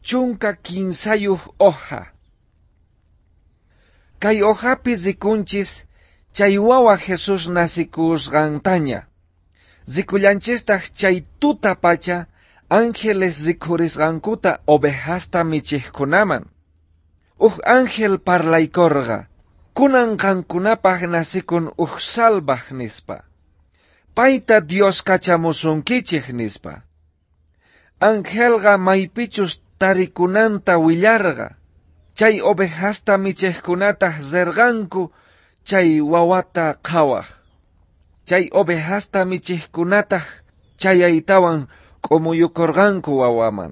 13 hoja. Kay hojapi rikunchis chay wawa Jesús nasikusqantaña. Rikullanchistaq chay tuta pacha ángeles rikhurisqankuta ovejasta michiqkunaman. Uj ángel parlaykorqa, kunan qankunapaq nasikun uj salvaj nispa. Payta Dios kachamusunkichej nispa. Angelqa maypichus tarikunanta willarqa. Chay ovejasta michiqkunataq rirqanku chay wawata qhawaj. Chay ovejasta michiqkunataq chayaytawan k'umuyukurqanku wawaman.